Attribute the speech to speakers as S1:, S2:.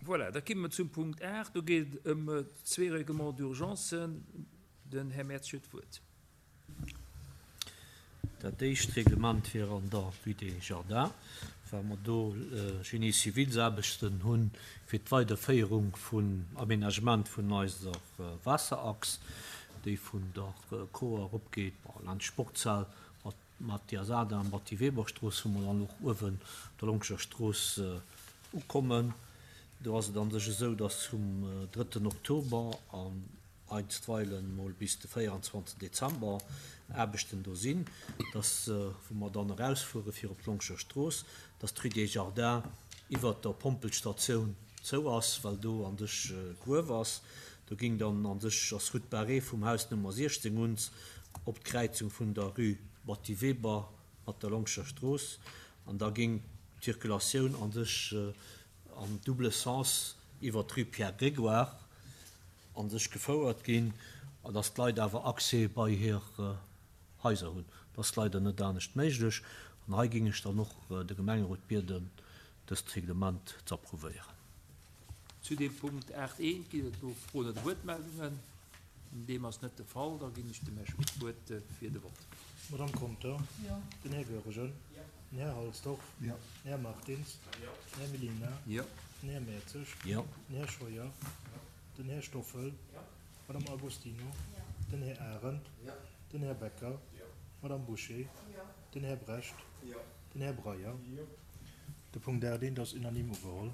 S1: Voilà, da kimme mer zum Punkt 8. Do geet et ëm zwee Règlements d'urgencen. Den Här Mertz huet d'Wuert.
S2: Dat éischt Reglement wier an der Rue des Jardins, well mer do Génie-civilsaarbechten hu fir d'Weiderféierung vun Aménagement vun eiser Waasserachs, déi vun der Koar eropgeet laanscht d'Sportshal mat Mathias Adam, Batty Weber-Strooss, wou mer dann och uewen op der Longscher Strooss ukommen. Do ass et an sech esou, dass vum drëtten Oktober an einstweilen mol bis de 24 Dezember Aarbechten do sinn, dass, wou mer dann erausfuere fir op d'Longscher Strooss, dass d'Rue des Jardins iwwert der Pompelstatioun zou ass, well do an sech Gruef ass. Do ging dann an sech, ass Route barrée vum Haus Nummer 16 uns op d'Kräizung vun der Rue Batty Weber mat der Longscher Strooss an da ging d'Circulatioun an sech am double sens iwwer d'Rue Pierre Grégoire an sech gefouert ginn, an dass d'Leit awer Accès bei hir Haiser hunn. Dat ass leider net anescht méiglech an hei ging ech dann och de Gemengerot bieden, dëst Reglement ze approuvéieren.
S1: Zu deem Punkt 8 I ginn et elo Froen oder Wuertmeldungen. Deem ass net de Fall. Da ginn ech dem Här Schmit d'Wuert fir de Vott.
S3: D'Madame Conter. Den Här Goergen. Den Här Halsdorf. Den Här Martins. Den Här Mellina. Den Här Mertzig. Den Här Scheuer. Den Här Stoffel. D'Madame Agostino. Den Här Arendt. Den Här Becker. D'Madame Bouché. Den Här Brecht. Den Här Breyer. De Punkt 8 I ass unanime ugeholl.